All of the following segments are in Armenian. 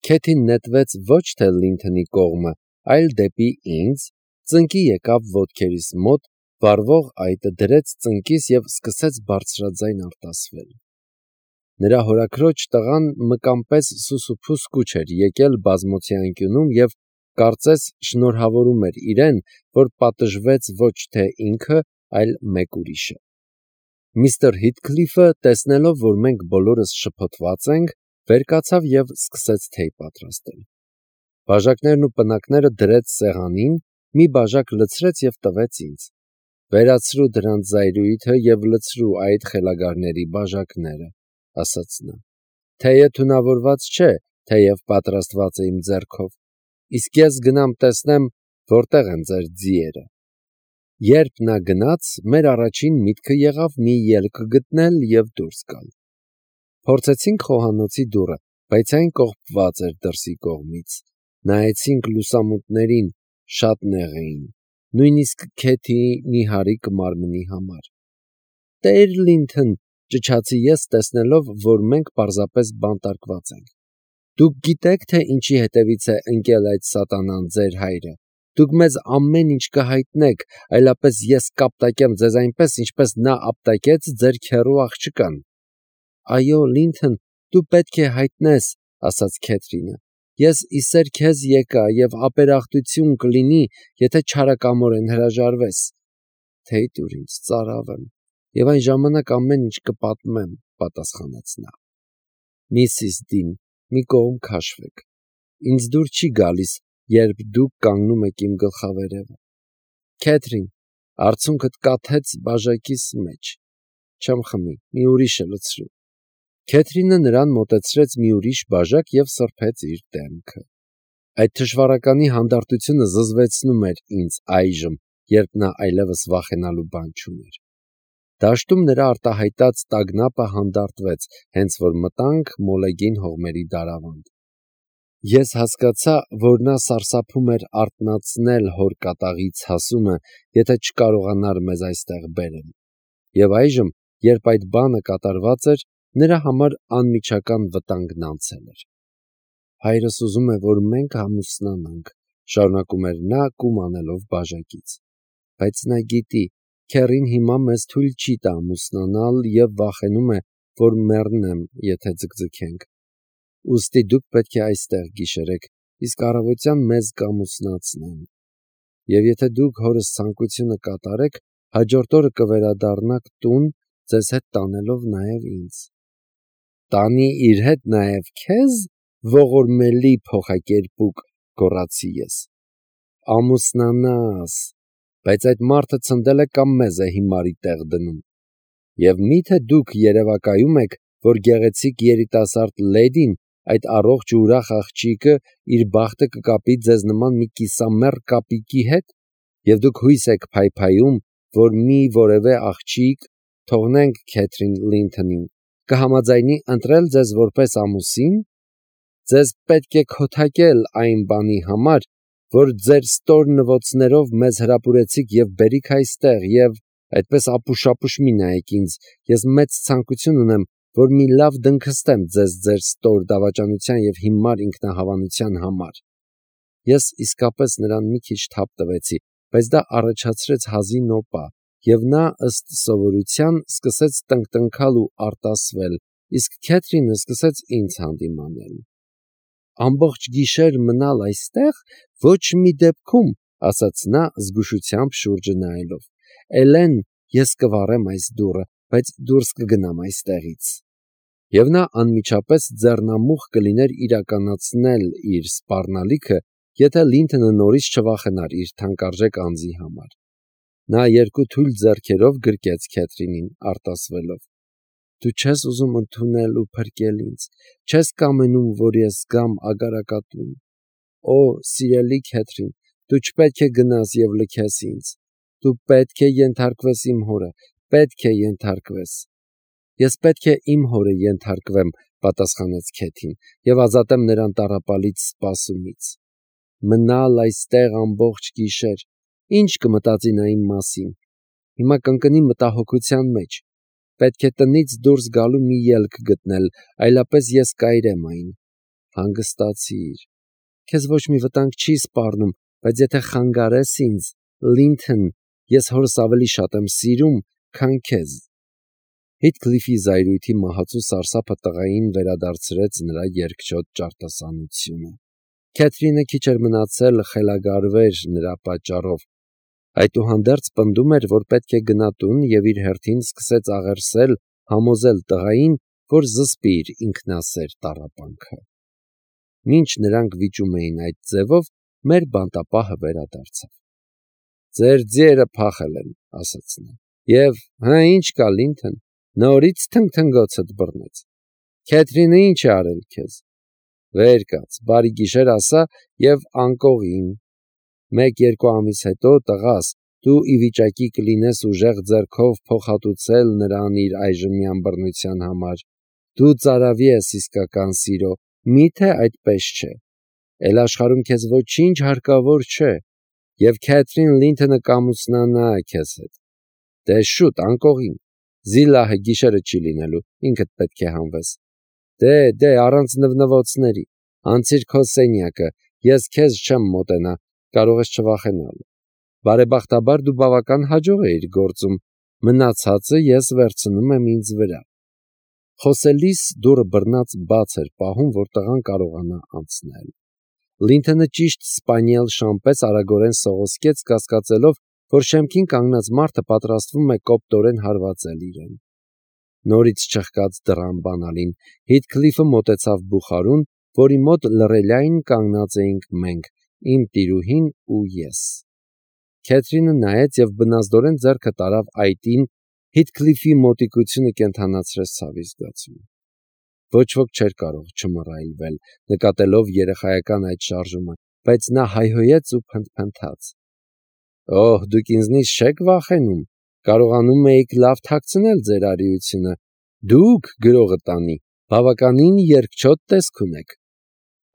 Քեթին նետվեց ոչ թե Լինթոնի կողմը, այլ դեպի ինձ, ծնկի եկավ ոտքերիս մոտ, վառվող այտը դրեց ծնկիս և սկսեց բարձրաձայն արտասվել։ Նրա հորաքրոջ տղան մկան պես սուսուփուս կուչ էր եկել բազմոցի անկյունում և կարծես շնորհավորում էր իրեն, որ պատժվեց ոչ թե ինքը, այլ մեկ ուրիշը։ Միստր Հիթքլիֆը, տեսնելով, որ մենք բոլորս շփոթված ենք, վեր կացավ և սկսեց թեյ պատրաստել։ Բաժակներն ու պնակները դրեց սեղանին, մի բաժակ լցրեց և տվեց ինձ։ «Վերացրու դրանց զայրույթը և լցրու այդ խելագարների բաժակները», ասաց նա։ «Թեյը թունավորված չէ, թեև պատրաստված է իմ ձեռքով, իսկ ես գնամ տեսնեմ, որտեղ են ձեր ձիերը»։ Երբ նա գնաց, մեր առաջին միտքը եղավ մի ելք գտնել և դուրս գալ։ Փորձեցինք խոհանոցի դուռը, բայց այն կողպված էր դրսի կողմից։ Նայեցինք լուսամուտներին, շատ նեղ էին, նույնիսկ Քեթիի նիհարիկ մարմնի համար։ «Տեր Լինթոն», ճչացի ես, տեսնելով, որ մենք պարզապես բանտարկված ենք։ «Դուք գիտեք, թե ինչի հետևից է ընկել այդ սատանան, ձեր հայրը։ Դուք մեզ ամեն ինչ կհայտնեք, այլապես ես կապտակեմ ձեզ այնպես, ինչպես նա ապտակեց ձեր քեռու աղջկան»։ «Այո, Լինթոն, դու պետք է հայտնես», ասաց Քեթրինը։ «Ես իսեր քեզ եկա և ապերախտություն կլինի, եթե չարակամորեն հրաժարվես»։ «Թեյ տուր ինձ, ծարավ եմ, և այն ժամանակ ամեն ինչ կպատմեմ», պատասխանեց նա։ «Միսիս Դին, մի կողմ քաշվեք։ Ինձ դուր չի գալիս, երբ դուք կանգնում եք իմ գլխավերևը։ Քեթրին, արցունքդ կաթեց բաժակիս մեջ։ Չեմ խմի, մի ուրիշը լցրու»։ Քեթրինը նրան մոտեցրեց մի ուրիշ բաժակ և սրբեց իր դեմքը։ Այդ թշվառականի հանդարտությունը զզվեցնում էր ինձ այժմ, երբ նա այլևս վախենալու բան չուներ։ Դաշտում նրա արտահայտած տագնապը հանդարտվեց, հենց որ մտանք մոլեգին հողմերի դարավանդ։ Ես հասկացա, որ նա սարսափում էր արթնացնել հոր կատաղի ցասումը, եթե չկարողանար մեզ այստեղ բերել։ Եվ այժմ, երբ այդ բանը կատարված էր, նրա համար անմիջական վտանգն անցել էր։ «Հայրս ուզում է, որ մենք ամուսնանանք», շարունակում էր նա, կում անելով բաժակից։ «Բայց նա գիտի, քեռին հիմա մեզ թույլ չի տա ամուսնանալ և վախենում է, որ մեռնեմ, եթե ձգձգենք։ Ուստի դուք պետք է այստեղ գիշերեք, իսկ առավոտյան մեզ կամուսնացնեն։ Եվ եթե դուք հորս ցանկությունը կատարեք, հաջորդ օրը կվերադառնաք տուն, ձեզ հետ տանելով նաև ինձ»։ «Տանի իր հետ նաև քեզ, ողորմելի փոխակերպուկ», գոռացի ես։ «Ամուսնանաս, բայց այդ մարդը ցնդել է կամ մեզ է հիմարի տեղ դնում։ Եվ մի՞թե դուք երևակայում եք, որ գեղեցիկ երիտասարդ լեդին, այդ առողջ ու ուրախ աղջիկը, իր բախտը կկապի ձեզ նման մի կիսամեռ կապիկի հետ, և դուք հույս եք փայփայում, որ մի որևէ աղջիկ, թողնենք Քեթրին Լինթոնին, կհամաձայնի ընտրել ձեզ որպես ամուսին։ Ձեզ պետք է քոթակել այն բանի համար, որ ձեր ստոր նվոցներով մեզ հրապուրեցիք և բերիք այստեղ, և այդպես ապուշ-ապուշ մի նայեք ինձ, ես մեծ ցանկություն ունեմ, որ մի լավ դնքստեմ ձեզ ձեր ստոր դավաճանության և հիմար ինքնահավանության համար»։ Ես իսկապես նրան մի քիչ թափ տվեցի, բայց դա առաջացրեց հազի նոպա, և նա, ըստ սովորության, սկսեց տնկտնքալ ու արտասվել, իսկ Քեթրինը սկսեց ինձ հանդիմանել։ «Ամբողջ գիշեր մնալ այստեղ, ոչ մի դեպքում», ասաց նա, զգուշությամբ շուրջը նայելով։ «Էլեն, ես կվառեմ այս դուռը, բայց դուրս կգնամ այստեղից»։ Եվ նա անմիջապես ձեռնամուխ կլիներ իրականացնել իր սպառնալիքը, եթե Լինթոնը նորից չվախենար իր թանկարժեք անձի համար։ Նա երկու թույլ ձեռքերով գրկեց Քեթրինին, արտասվելով։ «Դու չես ուզում ընդունել ու փրկել ինձ, չես կամենում, որ ես գամ ագարակատուն։ Օ, սիրելի Քեթրին, դու չպետք է գնաս և լքես ինձ։ Դու պետք է ենթարկվես իմ հորը, պետք է ենթարկվես»։ «Ես պետք է իմ հորը ենթարկվեմ», պատասխանեց Քեթին, «և ազատեմ նրան տառապալից սպասումից։ Մնալ այստեղ ամբողջ գիշեր, ի՞նչ կմտածի նա իմ մասին։ Հիմա կընկնի մտահոգության մեջ։ Պետք է տնից դուրս գալու մի ելք գտնել, այլապես ես կայրեմ այն։ հանգստացիր։ Քեզ ոչ մի վտանգ չի սպառնում, բայց եթե խանգարես ինձ, Լինթոն, ես հորս ավելի շատ եմ սիրում, քան քեզ։ Հիթքլիֆի զայրույթի մահացու սարսափը տղային վերադարձրեց նրա երկչոտ ճարտասանությունը։ Քեթրինը քիչ էր մնացել խելագարվեր նրա պատճառով։ Այդուհանդերձ պնդում էր, որ պետք է գնա տուն և իր հերթին սկսեց աղերսել, համոզել տղային, որ զսպի իր ինքնասեր տառապանքը։ Մինչ նրանք վիճում էին այդ ձևով, մեր բանտապահը վերադարձավ։ «Ձեր ձիերը փախել են», ասաց նա։ «Եվ հա ինչ կա, Լինթոն, նորից թնգթնգոցդ բռնեց։ Քեթրինը ինչ է արել քեզ։ Վեր կաց, բարի գիշեր ասա և անկողին։ 1-2 ամիս հետո, տղաս, դու ի վիճակի կլինես ուժեղ ձեռքով փոխհատուցել նրան իր այժմյան բռնության համար։ Դու ծարավի ես իսկական սիրո, միթե այդպես չէ։ Էլ աշխարհում քեզ ոչինչ հարկավոր չէ, և Քեթրին Լինթոնը կամուսնանա քեզ հետ։ Դե շուտ, անկողին։ Զիլահը գիշերը չի լինելու, ինքդ պետք է հանվես։ Դե, առանց նվնվոցների, անցիր քո սենյակը, ես քեզ չեմ մոտենա, կարող ես չվախենալ։ Բարեբախտաբար դու բավական հաջող էիր գործում, մնացածը ես վերցնում եմ ինձ վրա։ Խոսելիս դուռը բռնած բաց էր պահում, որ տղան կարողանա անցնել։ Լինթոնը ճիշտ սպանիել շամպես արագորեն սողոսկեց, կասկածելով, որ շեմքին կանգնած մարդը պատրաստվում է կոպտորեն հարվածել իրեն։ Նորից չխկաց դռան բանալին, Հիթքլիֆը մոտեցավ բուխարուն, որի մոտ լռելիայն կանգնած էինք մենք, իմ տիրուհին ու ես։ Քեթրինը նայեց և բնազդորեն ձեռքը տարավ այտին, Հիթքլիֆի մոտիկությունը կենդանացրեց ցավի զգացում։ Ոչ ոք չէր կարող չմռայլվել, նկատելով երեխայական այդ շարժումը, բայց նա հայհոյեց ու փնթփնթաց. «Օհ, դուք ինձնից չեք վախենում, կարողանում էիք լավ թաքցնել ձեր արիությունը, դուք, գրողը տանի, բավականին երկչոտ տեսք ունեք»։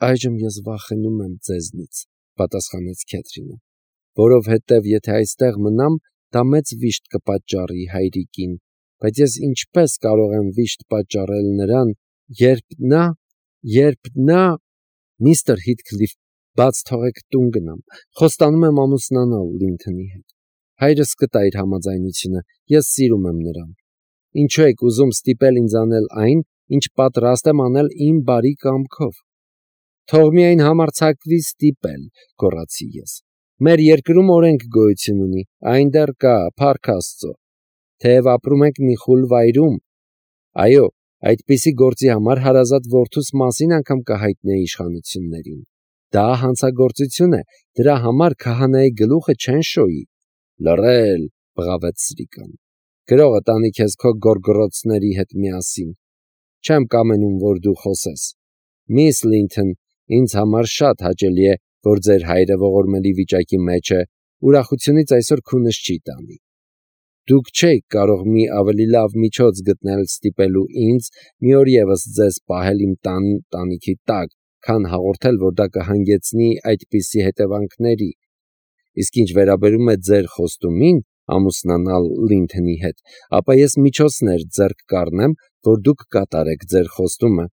«Այժմ ես վախենում եմ ձեզնից», պատասխանեց Քեթրինը, «որովհետև եթե այստեղ մնամ, դա մեծ վիշտ կպատճառի հայրիկին, բայց ես ինչպես կարող եմ վիշտ պատճառել նրան, երբ նա… Միստր Հիթքլիֆ, բաց թողեք տուն գնամ, խոստանում եմ ամուսնանալ Լինթոնի հետ։ Հայրս կտա իր համաձայնությունը, ես սիրում եմ նրան։ Ինչու եք ուզում ստիպել ինձ անել այն, ինչ պատրաստ եմ անել իմ բարի կամքով։ Թող միայն համարձակվի ստիպել, գոռացի ես։ Մեր երկրում օրենք գոյություն ունի, այն դեռ կա, փառք Աստծո։ Թեև ապրում ենք մի խուլ վայրում։ Այո, այդպիսի գործի համար հարազատ որդուս մասին անգամ կհայտնեի իշխանություններին։ Դա հանցագործություն է, դրա համար քահանայի գլուխը չեն շոյի։ Լռել, բղավեց Սրիկան։ Գրողը տանի քեզ քո գոռգոռոցների հետ միասին։ Չեմ կամենում, որ դու խոսես։ Միս Լինթոն, ինձ համար շատ հաճելի է, որ ձեր հայրը ողորմելի վիճակի մեջ է, ուրախությունից այսօր քունս չի տանի։ Դուք չէիք կարող մի ավելի լավ միջոց գտնել ստիպելու ինձ մի օր ևս ձեզ պահել իմ տանիքի տակ, քան հաղորդել, որ դա կհանգեցնի այդպիսի հետևանքների։ Իսկ ինչ վերաբերում է ձեր խոստումին ամուսնանալ Լինթոնի հետ, ապա ես միջոցներ ձեռք կառնեմ, որ դուք կատարեք ձեր խոստումը։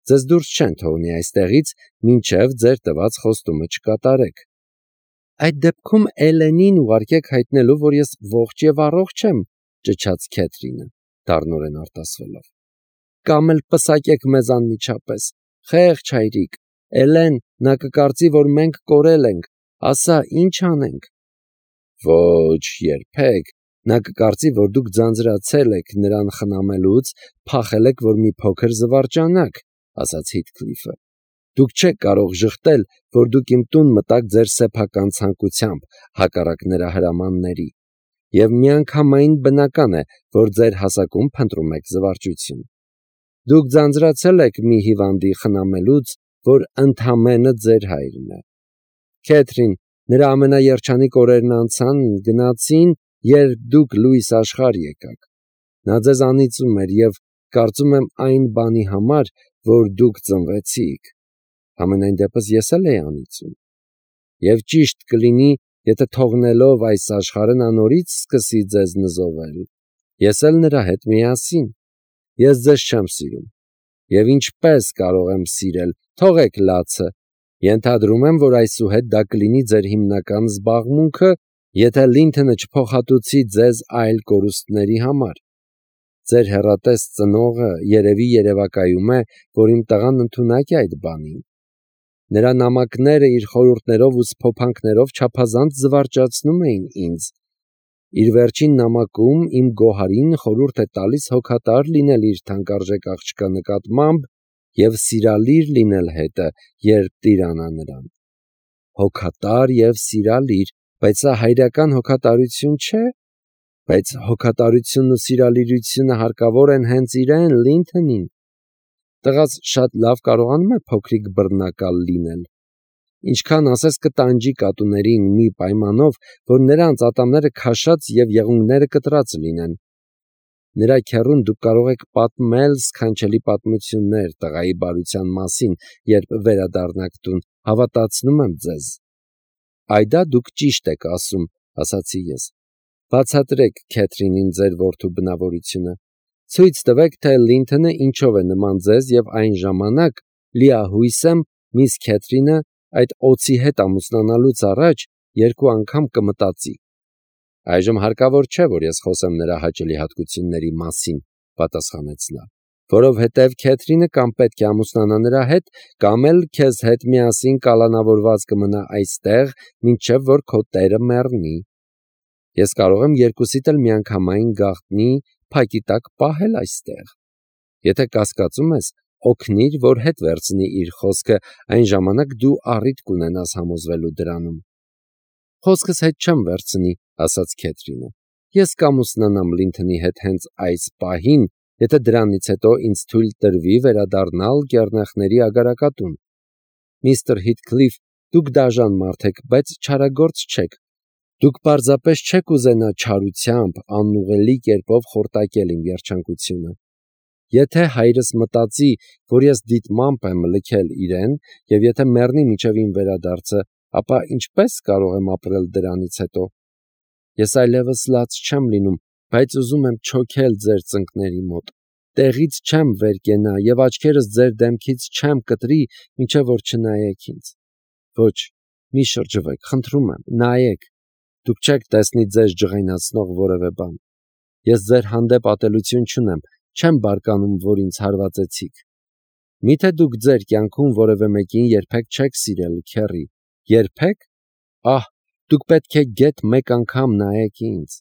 Ձեզ դուրս չեն թողնի այստեղից, մինչև ձեր տված խոստումը չկատարեք։ Այդ դեպքում Էլենին ուղարկեք հայտնելու, որ ես ողջ եւ առողջ եմ, ճչաց Քեթրինը, դառնորեն արտասվելով։ Կամ էլ պսակեք մեզ անմիջապես, խեղճ հայրիկ, Էլեն, նա կկարծի, որ մենք կորել ենք, ասա, ինչ անենք։ Ոչ, երբեք, նա կկարծի, որ դուք ձանձրացել եք նրան խնամելուց, փախել եք, որ մի փոքր զվարճանաք, ասաց Հիթքլիֆը։ Դուք չեք կարող ժխտել, որ դուք իմ տուն մտաք ձեր սեփական ցանկությամբ, հակառակ նրա հրամանների, և միանգամայն բնական է, որ ձեր հասակում փնտրում եք զվարճություն։ Դուք ձանձրացել եք մի հիվանդի խնամելուց, որ ընդամենը ձեր հայրն է։ Քեթրին, նրա ամենաերջանիկ օրերն անցան, գնացին, երբ դուք լույս աշխարհ եկաք։ Նա ձեզ անիծում էր և կարծում եմ այն բանի համար, որ դուք ծնվեցիք։ Համենայն դեպս ես էլ էի անիծում։ Եվ ճիշտ կլինի, եթե թողնելով այս աշխարհը նա նորից սկսի ձեզ նզովել։ Ես էլ նրա հետ միասին։ Ես ձեզ չեմ սիրում։ Եվ ինչպես կարող եմ սիրել, թողեք լացը, ենթադրում եմ, որ այսուհետ դա կլինի ձեր հիմնական զբաղմունքը, եթե Լինթոնը չփոխհատուցի ձեզ այլ կորուստների համար։ Ձեր հեռատես ծնողը երևի երևակայում է, որ իմ տղան ընդունակ է այդ բանին։ Նրա նամակները իր խորհուրդներով ու սփոփանքներով չափազանց զվարճացնում էին ինձ։ Իր վերջին նամակում իմ գոհարին խորհուրդ է տալիս հոգատար լինել իր թանկարժեք աղջկա նկատմամբ և սիրալիր լինել հետը, երբ տիրանա նրան։ Հոգատար և սիրալիր, բայց սա հայրական հոգատարություն չէ՞։ Բայց հոգատարությունն ու սիրալիրությունը հարկավոր են հենց իրեն, Լինթոնին։ Տղաս շատ լավ կարողանում է փոքրիկ բռնակալ լինել։ Ինչքան ասես կտանջի կատուներին մի պայմանով, որ նրանց ատամները քաշած և եղունգները կտրած լինեն։ Նրա քեռուն դուք կարող եք պատմել սքանչելի պատմություններ տղայի բարության մասին, երբ վերադառնաք տուն, հավատացնում եմ ձեզ։ Այդա դուք ճիշտ եք ասում, ասացի ես։ Բացատրեք Քեթրինին ձեր որդու բնավորությունը։ Ցույց տվեք, թե Լինթոնը ինչով է նման ձեզ, և այն ժամանակ լիահույս եմ, միս Քեթրինը այդ օձի հետ ամուսնանալուց առաջ 2 անգամ կմտածի։ Այժմ հարկավոր չէ, որ ես խոսեմ նրա հաճելի հատկությունների մասին, պատասխանեց նա, որովհետև Քեթրինը կամ պետք է ամուսնանա նրա հետ, կամ էլ քեզ հետ միասին կալանավորված կմնա այստեղ, մինչև որ քո տերը մեռնի։ Ես կարող եմ երկուսիդ էլ միանգամայն գաղտնի փակի տակ պահել այստեղ։ Եթե կասկածում ես, օգնիր, որ հետ վերցնի իր խոսքը, այն ժամանակ դու առիթ կունենաս համոզվելու դրանում։ Խոսքս հետ չեմ վերցնի, ասաց Քեթրինը։ Ես կամուսնանամ Լինթոնի հետ հենց այս պահին, եթե դրանից հետո ինձ թույլ տրվի վերադառնալ Կեռնեխների ագարակատուն։ Միստր Հիթքլիֆ, դուք դաժան մարդ եք, բայց չարագործ չեք։ Դուք պարզապես չեք ուզենա չարությամբ, անուղղելի կերպով խորտակել իմ երջանկությունը։ Եթե հայրս մտածի, որ ես դիտմամբ եմ լքել իրեն, և եթե մեռնի մինչև իմ վերադարձը, ապա ինչպե՞ս կարող եմ ապրել դրանից հետո։ Ես այլևս լաց չեմ լինում, բայց ուզում եմ չոքել ձեր ծնկների մոտ։ Տեղից չեմ վեր կենա և աչքերս ձեր դեմքից չեմ կտրի, մինչև որ չնայեք ինձ։ Ոչ, մի շրջվեք, խնդրում եմ, նայեք։ Դուք չեք տեսնի ձեզ ջղայնացնող որևէ բան։ Ես ձեր հանդեպ ատելություն չունեմ, չեմ բարկանում, որ ինձ հարվածեցիք։ Միթե դուք ձեր կյանքում որևէ մեկին երբեք չեք սիրել, քեռի։ Երբեք։ Ահ, դուք պետք է գեթ մեկ անգամ նայեք ինձ։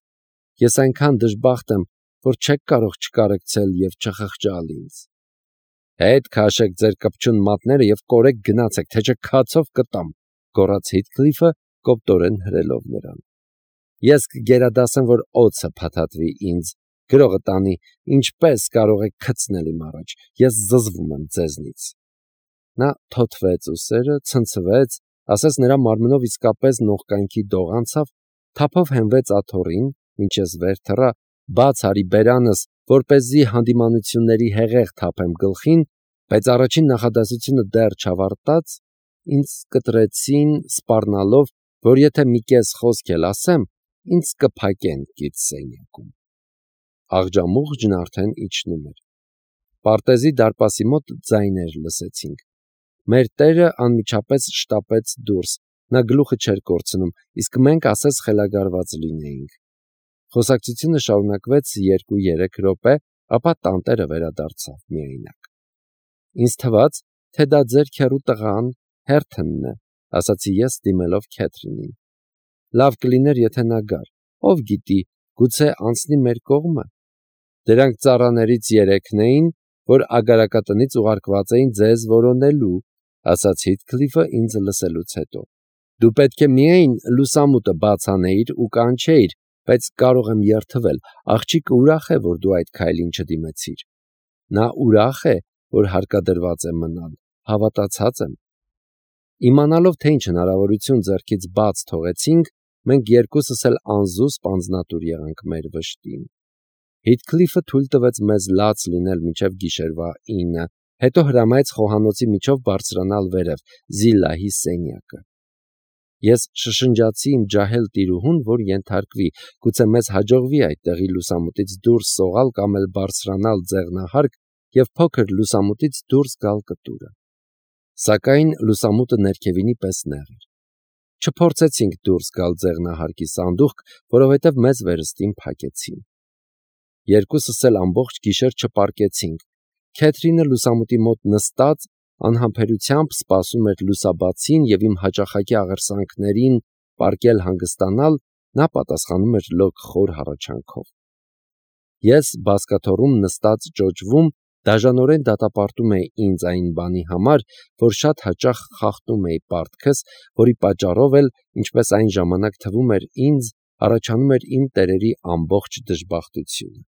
Ես այնքան դժբախտ եմ, որ չեք կարող չկարեկցել և չխղճալ ինձ։ Հետ քաշեք ձեր կպչուն մատները և կորեք գնացեք, թե չէ քացով կտամ, գոռաց Հիթքլիֆը, կոպտորեն հրելով նրան։ Ես կգերադասեմ, որ օձը փաթաթվի ինձ, գրողը տանի, ինչպես կարող եք քցնել իմ առաջ, ես զզվում եմ ձեզնից։ Նա թոթվեց ուսերը, ցնցվեց, ասես նրա մարմնով իսկապես նողկանքի դող անցավ, թափով հենվեց աթոռին, մինչ ես վեր թռա, բաց արի բերանս, որպեսզի հանդիմանությունների հեղեղ թափեմ գլխին, բայց առաջին նախադասությունը դեռ չավարտած, ինձ կտրեցին սպառնալով, որ եթե մի կես խոսք էլ ասեմ, ինձ կփակեն գիտսենյակում։ Աղջամուղջն արդեն իջնում էր։ Պարտեզի դարպասի մոտ ձայներ լսեցինք։ Մեր տերը անմիջապես շտապեց դուրս, նա գլուխը չէր կորցնում, իսկ մենք ասես խելագարված լինեինք։ Խոսակցությունը շարունակվեց 2-3 րոպե, ապա տանտերը վերադարձավ միայնակ։ Ինձ թվաց, թե դա ձեր քեռու տղան, Հերթոնն է, ասացի ես դիմելով Քեթրինին։ Լավ կլիներ, եթե նա գար, ով գիտի, գուցե անցնի մեր կողմը։ Դրանք ծառաներից 3-ն էին, որ ագարակատնից ուղարկված էին ձեզ որոնելու, ասաց Հիթքլիֆը ինձ լսելուց հետո։ Դու պետք է միայն լուսամուտը բաց անեիր ու կանչեիր, բայց կարող եմ երդվել, աղջիկը ուրախ է, որ դու այդ քայլին չդիմեցիր։ Նա ուրախ է, որ հարկադրված է մնալ, հավատացած եմ։ Իմանալով, թե ինչ հնարավորություն ձեռքից բաց թողեցինք, մենք երկուսս էլ անզուսպ անձնատուր եղանք մեր վշտին։ Հիթքլիֆը թույլ տվեց մեզ լաց լինել մինչև գիշերվա 9, հետո հրամայեց խոհանոցի միջով բարձրանալ վերև, Զիլլահի սենյակը։ Ես շշնջացի իմ ջահել տիրուհուն, որ ենթարկվի, գուցե մեզ հաջողվի այդտեղի լուսամուտից դուրս սողալ կամ էլ բարձրանալ ձեղնահարկ, և փոքր լուսամուտից դուրս գալ կտուրը։ Սակայն լուսամուտը ներքևինի պես նեղ էր։ Չփորձեցինք դուրս գալ ձեղնահարկի սանդուղք, որովհետև մեզ վերստին փակեցին։ Երկուսս էլ ամբողջ գիշեր չպարկեցինք։ Քեթրինը լուսամուտի մոտ նստած անհամբերությամբ սպասում էր լուսաբացին և իմ հաճախակի աղերսանքներին պարկել հանգստանալ, նա պատասխանում էր լոկ խոր հառաչանքով։ Ես բազկաթոռում նստած ճոճվում, դաժանորեն դատապարտում էի ինձ այն բանի համար, որ շատ հաճախ խախտում էի պարտքս, որի պատճառով էլ, ինչպես այն ժամանակ թվում էր ինձ, առաջանում էր իմ տերերի ամբողջ դժբախտությունը։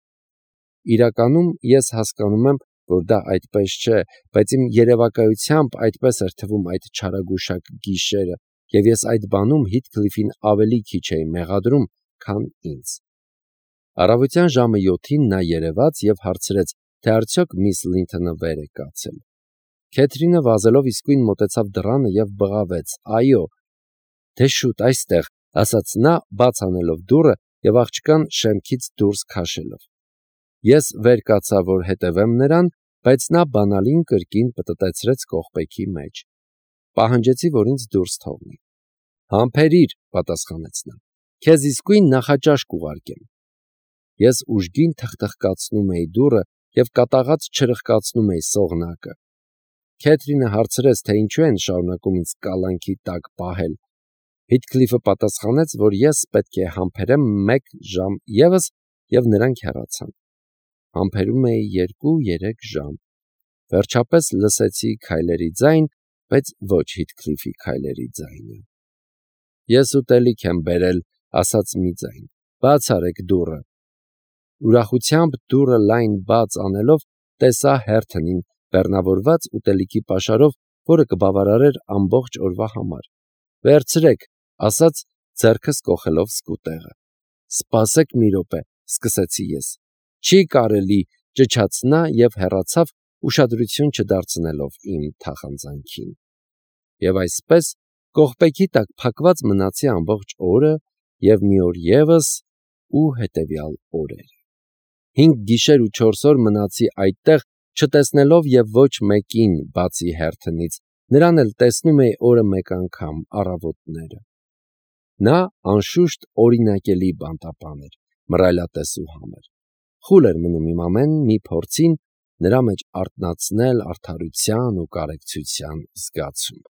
Իրականում ես հասկանում եմ, որ դա այդպես չէ, բայց իմ երևակայությամբ այդպես էր թվում այդ չարագուշակ գիշերը, և ես այդ բանում Հիթքլիֆին ավելի քիչ էի մեղադրում, քան ինձ։ Առավոտյան ժամը 7-ին նա երևաց և հարցրեց, թե արդյոք միս Լինթոնը վեր է կացել։ Քեթրինը վազելով իսկույն մոտեցավ դռանը և բղավեց. «Այո»։ «Դե շուտ այստեղ», ասաց նա, բաց անելով դուռը և աղջկան շեմքից դուրս քաշելով։ Ես վեր կացա, որ հետևեմ նրան, բայց նա բանալին կրկին պտտեցրեց կողպեքի մեջ։ Պահանջեցի, որ ինձ դուրս թողնի։ «Համբերիր», պատասխանեց նա, «քեզ իսկույն նախաճաշ կուղարկեմ»։ Ես ուժգին թխթխկացնում էի դուռը և կատաղած չրխկացնում էի սողնակը։ Քեթրինը հարցրեց, թե ինչու են շարունակում ինձ կալանքի տակ պահել։ Հիթքլիֆը պատասխանեց, որ ես պետք է համբերեմ 1 ժամ ևս, և նրանք հեռացան։ Համբերում էի 2-3 ժամ։ Վերջապես լսեցի քայլերի ձայն, բայց ոչ Հիթքլիֆի քայլերի ձայնը։ «Ես ուտելիք եմ բերել», ասաց մի ձայն։ «Բաց արեք դուռը»։ Ուրախությամբ դուռը լայն բաց անելով տեսա Հերթոնին բեռնավորված ուտելիքի պաշարով, որը կբավարարեր ամբողջ օրվա համար։ «Վերցրեք», ասաց, ձեռքս կոխելով սկուտեղը։ «Սպասեք մի րոպե», սկսեցի ես։ «Չի կարելի», ճչաց նա և հեռացավ, ուշադրություն չդարձնելով իմ թախանձանքին։ Եվ այսպես կողպեքի տակ փակված մնացի ամբողջ օրը և մի օր ևս ու հետևյալ օրերը։ 5 գիշեր ու 4 օր մնացի այդտեղ, չտեսնելով և ոչ մեկին, բացի Հերթոնից, նրան էլ տեսնում էի օրը մեկ անգամ առավոտները։ Նա, անշուշտ, օրինակելի բանտապան էր, մռայլատես ու համր։ Խուլ էր մնում իմ ամեն մի փորձին նրա մեջ արթնացնել արդարության ու կարեկցության զգացում։